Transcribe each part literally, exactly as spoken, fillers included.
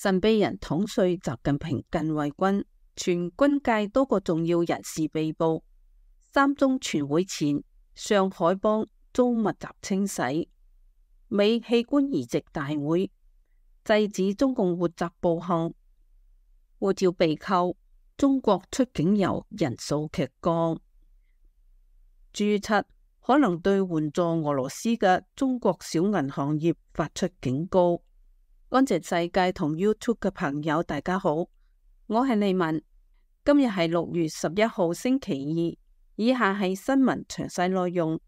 神秘人統帥習近平近衛軍，全軍界多個重要人士被捕。三中全會前，上海幫遭密集清洗。美器官移植大會，制止中共活摘暴行。護照被扣，中國出境遊人數劇降。G 七可能對援助俄羅斯嘅中國小銀行業發出警告。安靜世界同 YouTube 嘅朋友，大家好，我係利文。今日係六月十一號星期二，以下係新聞詳細內容。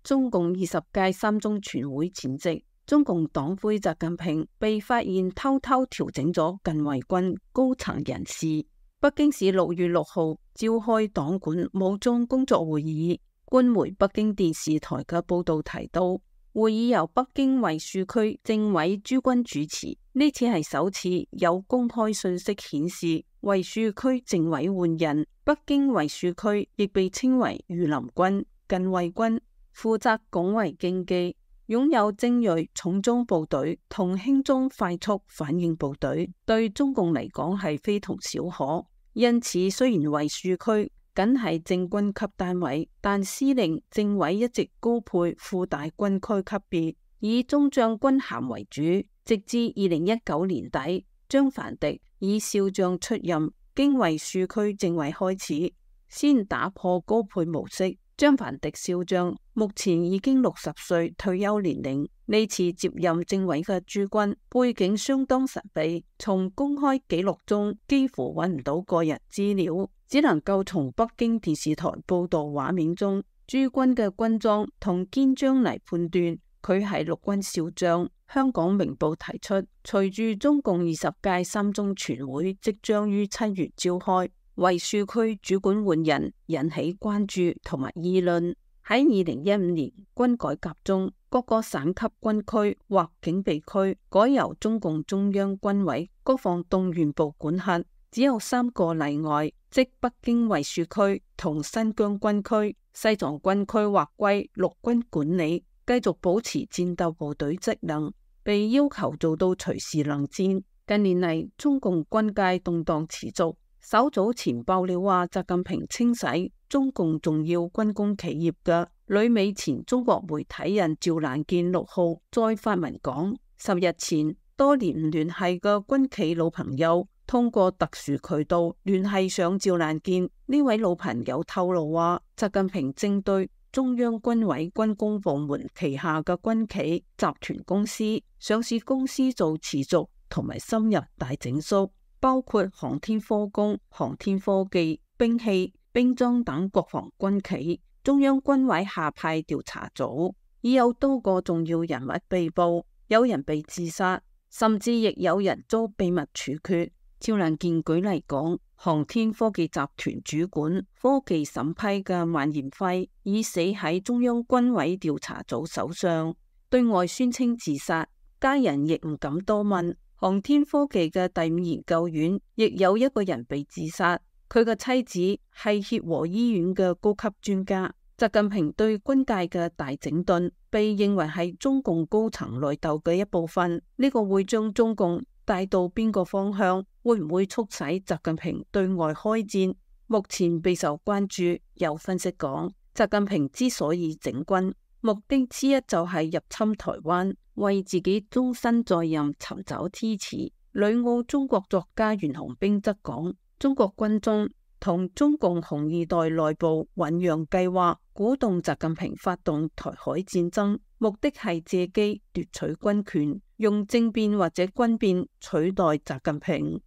中共二十屆三中全會前夕，中共黨魁習近平被發現偷偷調整咗近衛軍高層人事。北京市六月六號召開黨管武裝工作會議，官媒北京電視台嘅報道提到，會議由北京衛戍區政委朱軍主持，呢次係首次有公開信息顯示衛戍區政委換人。北京衛戍區亦被稱為御林軍、近衛軍，負責拱衛經濟，擁有精銳重裝部隊同輕裝快速反應部隊，對中共嚟講係非同小可。因此，雖然衛戍區僅係正軍級單位，但司令、政委一直高配副大軍區級別，以中將軍銜為主。直至二零一九年底，張凡迪以少將出任經衛戍區政委開始，先打破高配模式。張凡迪少將目前已經六十歲退休年齡，呢次接任政委嘅朱軍背景相當神秘，從公開記錄中幾乎揾唔到個人資料，只能夠從北京電視台報道畫面中朱軍嘅軍裝同肩章嚟判斷佢係陸軍少將。香港明報提出，隨住中共二十屆三中全會即將於七月召開，衛戍區主管換人引起關注同埋議論。喺二零一五年軍改革中，各個省級軍區或警備區改由中共中央軍委國防動員部管轄，只有三個例外，即北京衛戍區同新疆軍區。西藏軍區劃歸陸軍管理，繼續保持戰鬥部隊職能，被要求做到隨時能戰。近年嚟，中共軍界動盪持續。稍早前爆料話，習近平清洗中共重要軍工企業嘅旅美前中國媒體人趙蘭健六號再發文講，十日前多年唔聯繫嘅軍企老朋友通過特殊渠道聯繫上趙蘭健。呢位老朋友透露話，習近平正對中央軍委軍工部門旗下嘅軍企集團公司、上市公司做持續同埋深入大整肅，包括航天科工、航天科技、兵器、兵裝等國防軍企。中央軍委下派調查組，已有多個重要人物被捕，有人被自殺，甚至亦有人遭秘密處決。趙蘭健舉例講，航天科技集團主管科技審批嘅萬延輝已死喺中央軍委調查組手上，對外宣稱自殺，家人亦唔敢多問。航天科技嘅第五研究院亦有一個人被自殺，佢嘅妻子係協和醫院嘅高級專家。習近平對軍界嘅大整頓被認為係中共高層內鬥嘅一部分，呢個會將中共帶到邊個方向？會唔會促使習近平對外開戰？目前備受關注。有分析講，習近平之所以整軍，目的之一就係入侵台灣，為自己終身在任尋找支持。旅澳中國作家袁洪兵則講，中國軍中同中共紅二代內部醞釀計劃，鼓動習近平發動台海戰爭，目的係借機奪取軍權，用政變或者軍變取代習近平。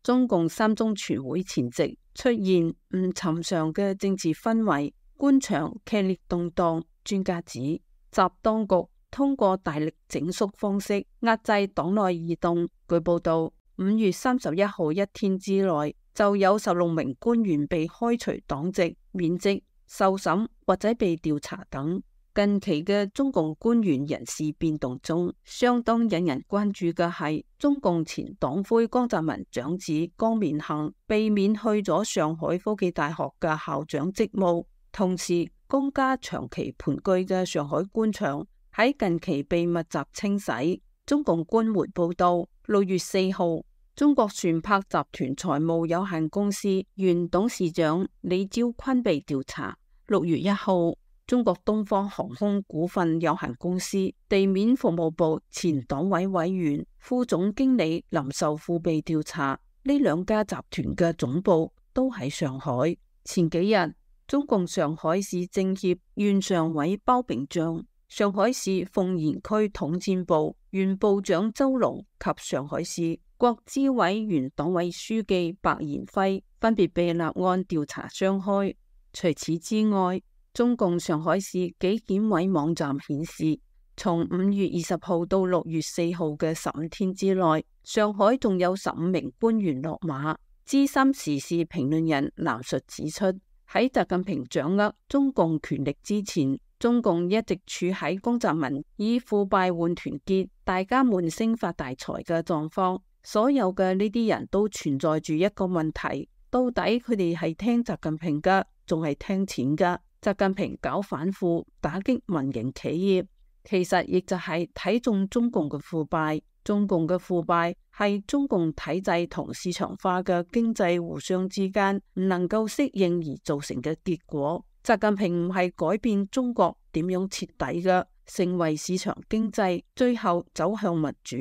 中共三中全會前夕出現唔尋常嘅政治氛圍，官場劇烈動盪。專家指，習當局通過大力整肅方式壓制黨內異動。據報道，五月三十一號一天之內就有十六名官員被開除黨籍、免職、受審或者被調查等。近期嘅中共官員人事變動中，相當引人關注嘅係中共前黨魁江澤民長子江勉行被免去咗上海科技大學嘅校長職務，同時江家長期盤踞嘅上海官場喺喺近期被密集清洗。中共官媒報道，六月四號，中國船舶集團財務有限公司原董事長李朝坤被調查。六月一號，中國東方航空股份有限公司地面服務部前黨委委員、副總經理林壽富被調查。呢兩家集團嘅總部都喺上海。前幾日，中共上海市政協原常委包炳將、上海市奉賢區統戰部原部長周龍及上海市國資委原黨委書記白延輝分別被立案調查雙開。除此之外，中共上海市紀檢委網站顯示，從五月二十號到六月四號嘅十五天之內，上海仲有十五名官員落馬。資深時事評論人藍述指出，喺習近平掌握中共權力之前，中共一直處喺江澤民以腐敗換團結、大家悶聲發大財嘅狀況。所有嘅呢啲人都存在住一個問題，到底佢哋係聽習近平噶，仲係聽錢噶？習近平搞反腐、打擊民營企業，其實亦就係睇中中共嘅腐敗。中共嘅腐敗係中共體制同市場化嘅經濟互相之間唔能夠適應而造成嘅結果。習近平唔係改變中國點樣徹底嘅成為市場經濟，最後走向民主。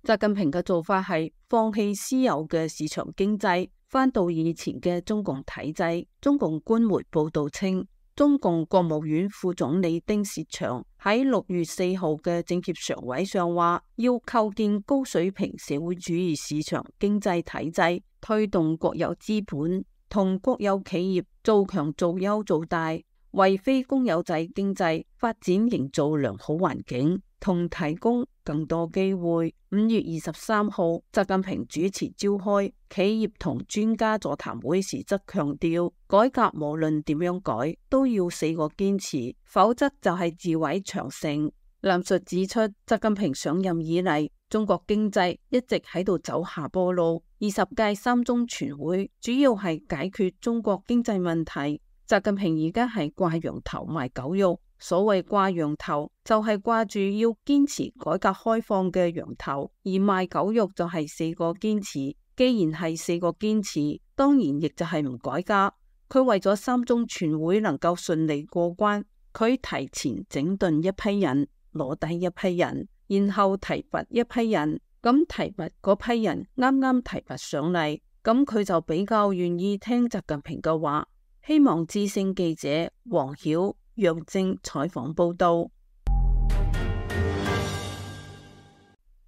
習近平嘅做法係放棄私有嘅市場經濟，翻到以前嘅中共體制。中共官媒報道稱，中共國務院副總理丁薛祥喺六月四號嘅政協常委上話，要構建高水平社會主義市場經濟體制，推動國有資本同國有企業做強做優做大，為非公有制經濟發展營造良好環境，同提供更多機會。五月二十三號，習近平主持召開企業同專家座談會時，則強調改革無論點樣改，都要四個堅持，否則就係自毀長城。藍述指出，習近平上任以嚟，中國經濟一直喺度走下坡路。二十屆三中全會主要係解決中國經濟問題。習近平而家係掛羊頭賣狗肉。所謂掛羊頭就係掛住要堅持改革開放嘅羊頭，而賣狗肉就係四個堅持。既然係四個堅持，當然亦就係唔改革。佢為咗三中全會能夠順利過關，佢提前整頓一批人，攞低一批人，然後提拔一批人。咁提拔嗰批人啱啱提拔上嚟，咁佢就比較願意聽習近平嘅話。希望之聲記者黃曉、楊正採訪報道。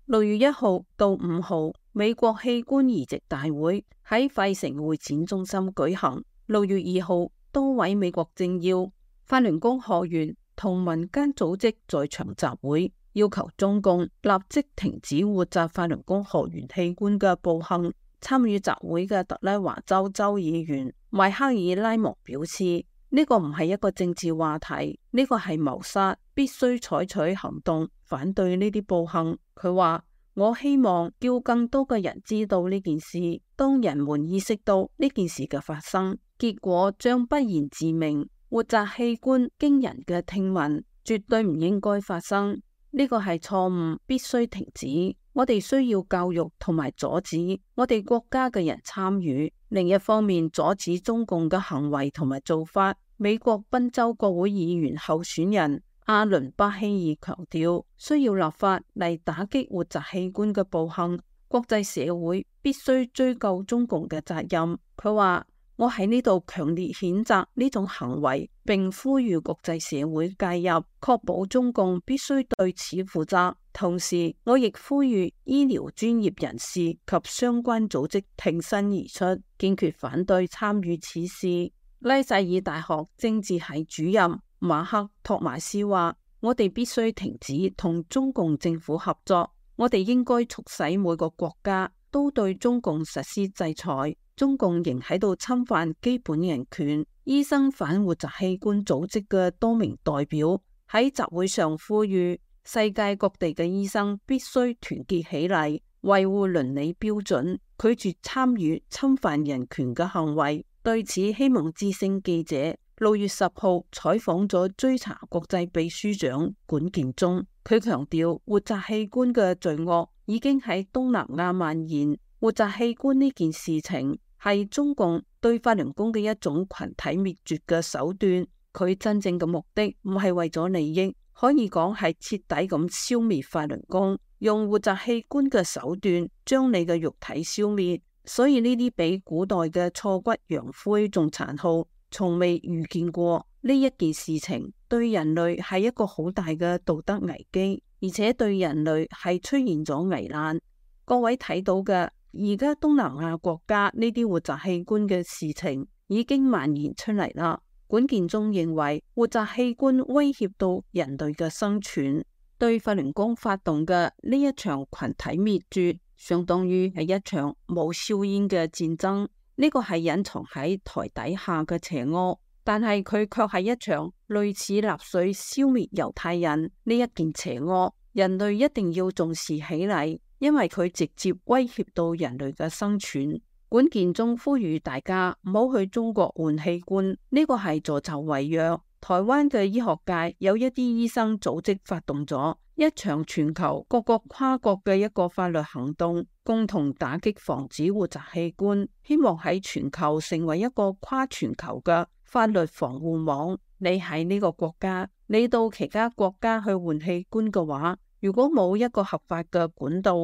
六月一號到五號，美國器官移植大會喺費城會展中心舉行。六月二號，多位美國政要、法輪功學員同民間組織在場集會，要求中共立即停止活摘法輪功學員器官嘅暴行。參與集會嘅特拉華州州議員邁克爾拉蒙表示，呢個唔係一個政治話題，呢個係謀殺，必須採取行動反對呢啲暴行。佢話，我希望叫更多嘅人知道呢件事，當人們意識到呢件事嘅發生，結果將不言自明。活摘器官驚人嘅聽聞絕對唔應該發生，呢個係錯誤，必須停止。我哋需要教育同埋阻止我哋國家嘅人參與，另一方面阻止中共嘅行為同埋做法。美國賓州國會議員候選人阿倫巴希爾強調，需要立法嚟打擊活摘器官嘅暴行，國際社會必須追究中共嘅責任。佢話，我喺呢度強烈譴責呢種行為，並呼籲國際社會介入，確保中共必須對此負責。同時，我亦呼籲醫療專業人士及相關組織挺身而出，堅決反對參與此事。拉薩爾大學政治系主任馬克托馬斯話，我哋必須停止同中共政府合作，我哋應該促使每個國家都對中共實施制裁。中共仍喺度侵犯基本人權。醫生反活摘器官組織嘅多名代表喺集會上呼籲，世界各地嘅醫生必須團結起嚟，維護倫理標準，拒絕參與侵犯人權嘅行為。對此，希望之聲記者六月十號採訪咗追查國際秘書長管建中，佢強調活摘器官嘅罪惡已經喺東南亞蔓延。活摘器官呢件事情係中共對法輪功嘅一種群體滅絕嘅手段，佢真正嘅目的唔係為咗利益，可以講係徹底咁消滅法輪功，用活摘器官嘅手段將你嘅肉體消滅。所以呢啲比古代嘅挫骨揚灰仲殘酷，從未遇見過。呢一件事情對人類係一個好大嘅道德危機，而且對人類係出現咗危難。各位睇到嘅，而家東南亞國家呢啲活摘器官嘅事情已經蔓延出嚟啦。管建中認為活摘器官威脅到人類嘅生存，對法輪功發動嘅呢一場群體滅絕，相當於係一場冇硝煙嘅戰爭。呢個係隱藏喺台底下嘅邪惡，但係佢卻係一場類似納粹消滅猶太人呢一件邪惡。人類一定要重視起嚟，因為佢直接威脅到人類嘅生存。管建中呼籲大家唔好去中國換器官，呢個係助紂為虐。台灣嘅醫學界有一啲醫生組織發動咗一場全球各個跨國嘅一個法律行動，共同打擊防止活摘器官，希望喺全球成為一個跨全球嘅法律防護網。你喺呢個國家，你到其他國家去換器官嘅話，如果冇一個合法嘅管道，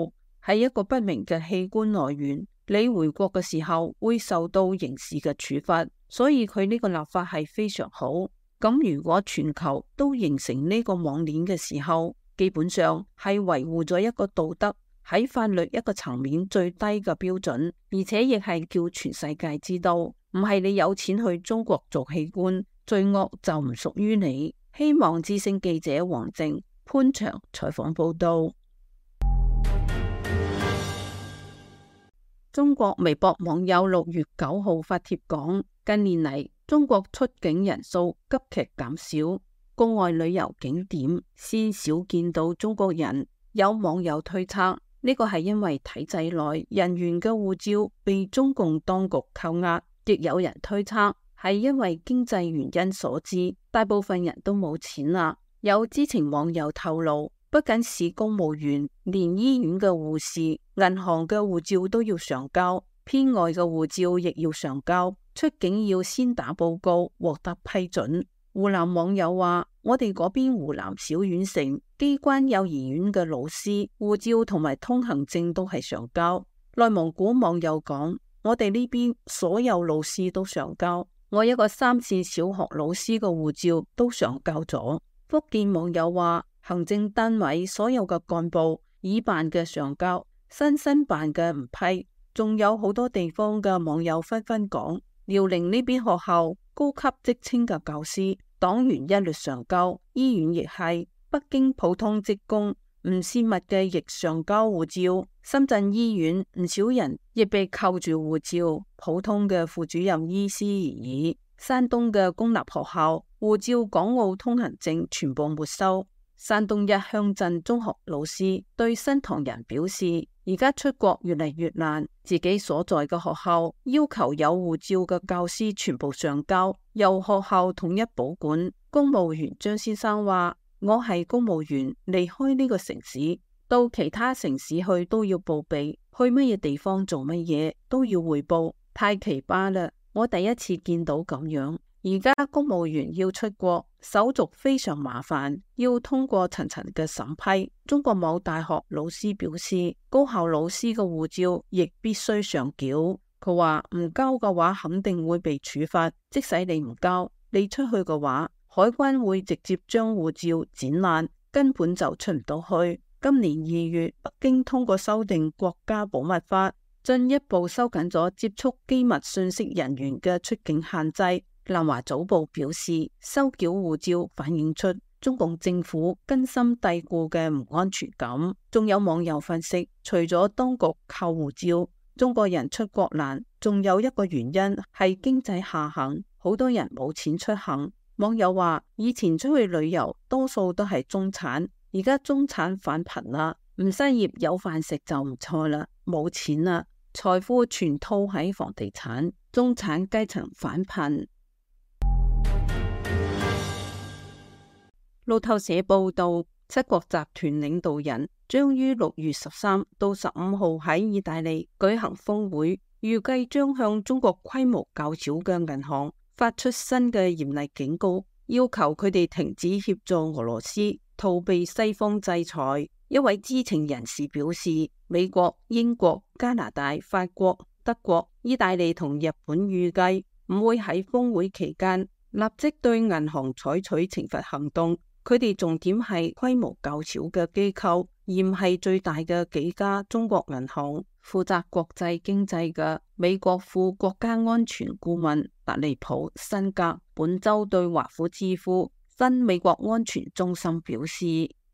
係一個不明嘅器官來源，你回國嘅時候會受到刑事嘅處罰。所以佢呢個立法係非常好。咁如果全球都形成呢個網鏈嘅時候，基本上係維護咗一個道德喺法律一個層面最低嘅標準，而且亦係叫全世界知道，唔係你有錢去中國做器官，罪惡就唔屬於你。希望之聲記者黃靜、潘祥採訪報道。中國微博網友六月九號發帖講，近年嚟中國出境人數急劇減少，國外旅遊景點鮮少見到中國人。有網友推測，呢個係因為體制內人員嘅護照被中共當局扣押，亦有人推測係因為經濟原因所致，大部分人都冇錢啦。有知情網友透露，不僅是公務員，連醫院嘅護士、銀行嘅護照都要上交，編外嘅護照亦要上交。出境要先打報告，獲得批准。湖南網友話，我哋嗰邊湖南小縣城機關幼兒園嘅老師護照同埋通行證都係上交。內蒙古網友講，我哋呢邊所有老師都上交，我一個三線小學老師嘅護照都上交咗。福建網友話，行政單位所有嘅幹部已辦嘅上交，新新辦嘅唔批。仲有好多地方嘅網友紛紛講，遼寧呢邊學校高級職稱嘅教師、黨員一律上交，醫院亦係。北京普通職工唔泄密嘅亦上交護照。深圳醫院唔少人亦被扣住護照，普通嘅副主任醫師而已。山東嘅公立學校護照、港澳通行證全部沒收。山東一鄉鎮中學老師對新唐人表示，而家出國越嚟越難，自己所在嘅學校要求有護照嘅教師全部上交，由學校統一保管。公務員張先生話，我係公務員，離開呢個城市到其他城市去都要報備，去乜嘢地方做乜嘢都要匯報，太奇葩啦！我第一次見到咁樣。而家公務員要出國，手續非常麻煩，要通過層層嘅審批。中國某大學老師表示，高校老師嘅護照亦必須上繳。佢話唔交嘅話肯定會被處罰，即使你唔交，你出去嘅話，海關會直接將護照剪爛，根本就出唔到去。今年二月，北京通過修訂國家保密法，進一步收緊咗接觸機密信息人員嘅出境限制。南華早報表示，收繳護照反映出中共政府根深蒂固嘅唔安全感。仲有網友分析，除咗當局扣護照，中國人出國難，仲有一個原因係經濟下行，好多人冇錢出行。網友話，以前出去旅遊多數都係中產，而家中產返貧啦，唔失業有飯食就唔錯啦，冇錢啦，財富全套喺房地產，中產階層返貧。路透社報道，七國集團領導人將於六月十三到十五號喺意大利舉行峰會，預計將向中國規模較小嘅銀行發出新嘅嚴厲警告，要求佢哋停止協助俄羅斯逃避西方制裁。一位知情人士表示，美國、英國、加拿大、法國、德國、意大利同日本預計唔會喺峰會期間立即對銀行採取懲罰行動。佢哋重點係規模較小嘅機構，而唔係最大嘅幾家中國銀行。負責國際經濟嘅美國副國家安全顧問達利普辛格本周對華府智庫新美國安全中心表示，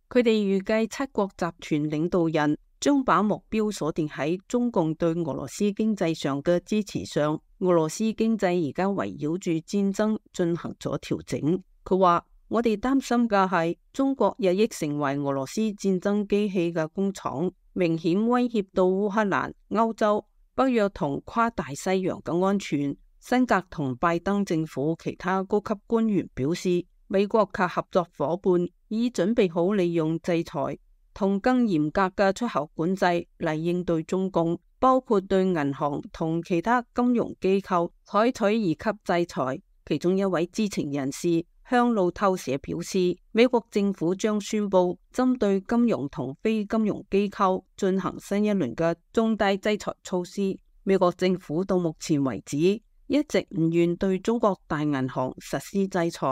佢哋預計七國集團領導人將把目標鎖定喺中共對俄羅斯經濟上嘅支持上。俄羅斯經濟而家圍繞住戰爭進行咗調整。佢話，我哋擔心嘅係中國日益成為俄羅斯戰爭機器嘅工廠，明顯威脅到烏克蘭、歐洲、北約同跨大西洋嘅安全。辛格同拜登政府其他高級官員表示，美國及合作夥伴已準備好利用制裁同更嚴格嘅出口管制嚟應對中共，包括對銀行同其他金融機構採取二級制裁。其中一位知情人士向路透社表示，美國政府將宣布針對金融同非金融機構進行新一輪嘅重大制裁措施。美國政府到目前為止一直唔願對中國大銀行實施制裁，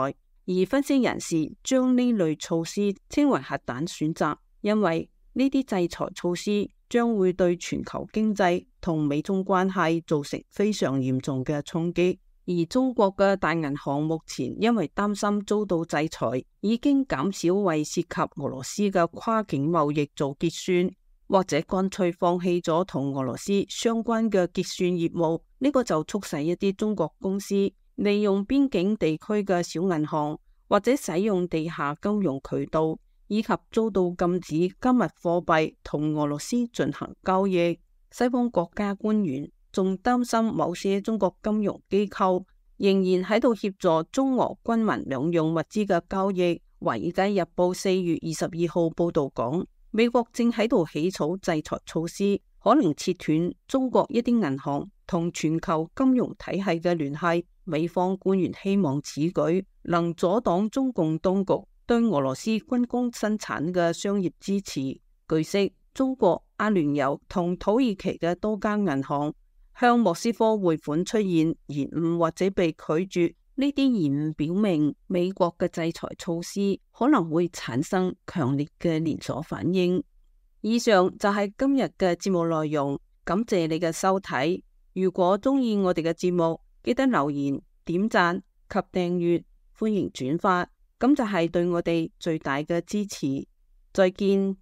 而分析人士將呢類措施稱為核彈選擇，因為呢啲制裁措施將會對全球經濟同美中關係造成非常嚴重嘅衝擊。而中國嘅大銀行目前因為擔心遭到制裁，已經減少為涉及俄羅斯嘅跨境貿易做結算，或者乾脆放棄咗同俄羅斯相關嘅結算業務。呢個就促使一啲中國公司利用邊境地區嘅小銀行，或者使用地下金融渠道，以及遭到禁止加密貨幣同俄羅斯進行交易。西方國家官員仲擔心某些中國金融機構仍然喺度協助中俄軍民兩用物資嘅交易。華爾街日報四月二十二號報道講，美國正喺度起草制裁措施，可能切斷中國一啲銀行同全球金融體系嘅聯繫。美方官員希望此舉能阻擋中共當局對俄羅斯軍工生產嘅商業支持。據悉，中國、阿聯酋同土耳其嘅多家銀行向莫斯科匯款出現延誤或者被拒絕，呢啲延誤表明美國嘅制裁措施可能會產生強烈嘅連鎖反應。以上就係今日嘅節目內容，感謝你嘅收睇。如果中意我哋嘅節目，記得留言、點讚及訂閱，歡迎轉發，咁就係對我哋最大嘅支持。再見。